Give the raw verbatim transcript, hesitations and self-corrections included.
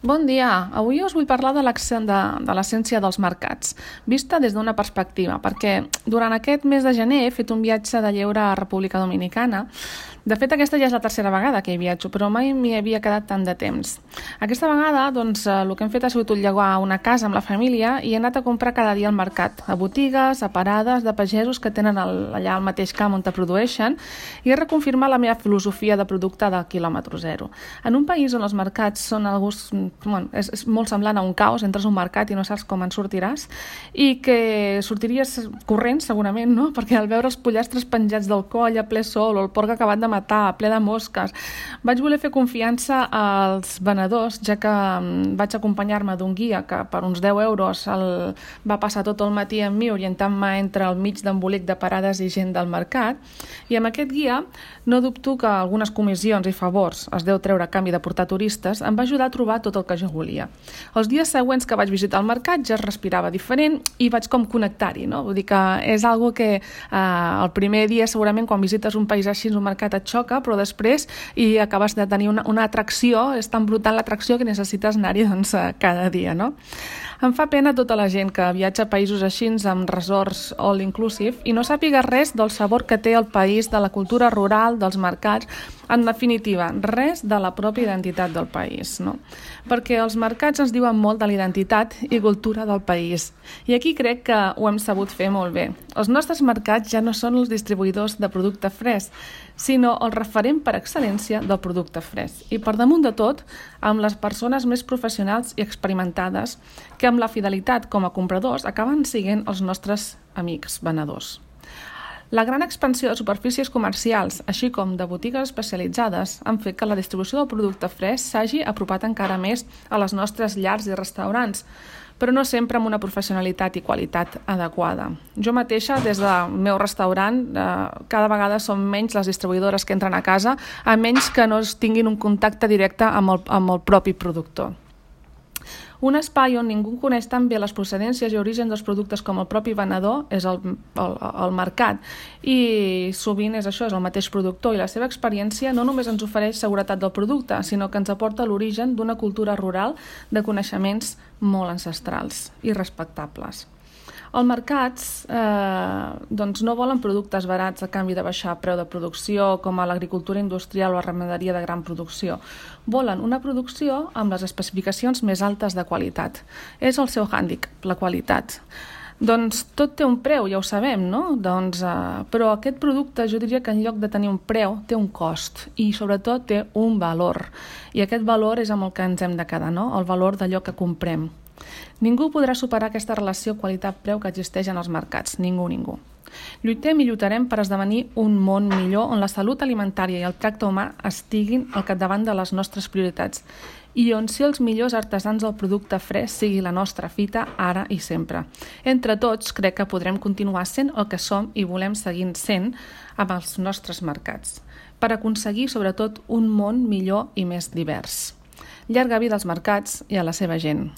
Bon dia. Avui us vull parlar de l'essència dels mercats, vista des d'una perspectiva, perquè durant aquest mes de gener he fet un viatge de lleure a República Dominicana. De fet, aquesta ja és la tercera vegada que hi viatjo, però mai m'hi havia quedat tant de temps. Aquesta vegada, doncs, el que hem fet ha sigut llogar una casa amb la família i he anat a comprar cada dia al mercat, a botigues, a parades de pagesos que tenen el, allà al mateix camp on te produeixen, i he reconfirmat la meva filosofia de producte de quilòmetre zero. En un país on els mercats són algú, bueno, és, és molt semblant a un caos, entres a un mercat i no saps com en sortiràs, i que sortiries corrents segurament, no? Perquè al veure els pollastres penjats del coll a ple sol o el porc acabat de matar, ple de mosques, vaig voler fer confiança als venedors, ja que vaig acompanyar-me d'un guia que per uns deu euros el, va passar tot el matí amb mi orientant-me entre el mig d'embolic de parades i gent del mercat, i amb aquest guia no dubto que algunes comissions i favors es deu treure a canvi de portar turistes em va ajudar a trobar tot el que jo volia. Els dies següents que vaig visitar el mercat ja es respirava diferent i vaig com connectar-hi, no? Vull dir que és algo que eh, el primer dia segurament quan visites un país així, un mercat et xoca, però després i acabes de tenir una, una atracció, és tan brutal l'atracció que necessites anar-hi doncs, cada dia, no? Em fa pena tota la gent que viatja a països així amb resorts all inclusive i no sàpiga res del sabor que té el país, de la cultura rural, dels mercats, en definitiva, res de la pròpia identitat del país, no? Perquè els mercats ens diuen molt de la identitat i cultura del país. I aquí crec que ho hem sabut fer molt bé. Els nostres mercats ja no són els distribuïdors de producte fresc, sinó el referent per excel·lència del producte fresc. I per damunt de tot, amb les persones més professionals i experimentades que amb la fidelitat com a compradors acaben sent els nostres amics venedors. La gran expansió de superfícies comercials, així com de botigues especialitzades, han fet que la distribució del producte fresc s'hagi apropat encara més a les nostres llars i restaurants, però no sempre amb una professionalitat i qualitat adequada. Jo mateixa, des del meu restaurant, eh, cada vegada són menys les distribuïdores que entren a casa, a menys que no tinguin un contacte directe amb el, amb el propi productor. Un espai on ningú coneix tan bé les procedències i orígens dels productes com el propi venedor és el, el, el mercat, i sovint és això, és el mateix productor, i la seva experiència no només ens ofereix seguretat del producte, sinó que ens aporta l'origen d'una cultura rural de coneixements molt ancestrals i respectables. Els mercats eh, doncs no volen productes barats a canvi de baixar preu de producció, com a l'agricultura industrial o la ramaderia de gran producció. Volen una producció amb les especificacions més altes de qualitat. És el seu hàndicap, la qualitat. Doncs tot té un preu, ja ho sabem, no? Doncs, eh, però aquest producte jo diria que en lloc de tenir un preu té un cost i sobretot té un valor. I aquest valor és amb el que ens hem de quedar, no? El valor d'allò que comprem. Ningú podrà superar aquesta relació qualitat-preu que existeix en els mercats. Ningú, ningú. Lluitem i lluitarem per esdevenir un món millor on la salut alimentària i el tracte humà estiguin al capdavant de les nostres prioritats i on ser els millors artesans del producte fresc sigui la nostra fita ara i sempre. Entre tots, crec que podrem continuar sent el que som i volem seguir sent amb els nostres mercats, per aconseguir sobretot un món millor i més divers. Llarga vida als mercats i a la seva gent.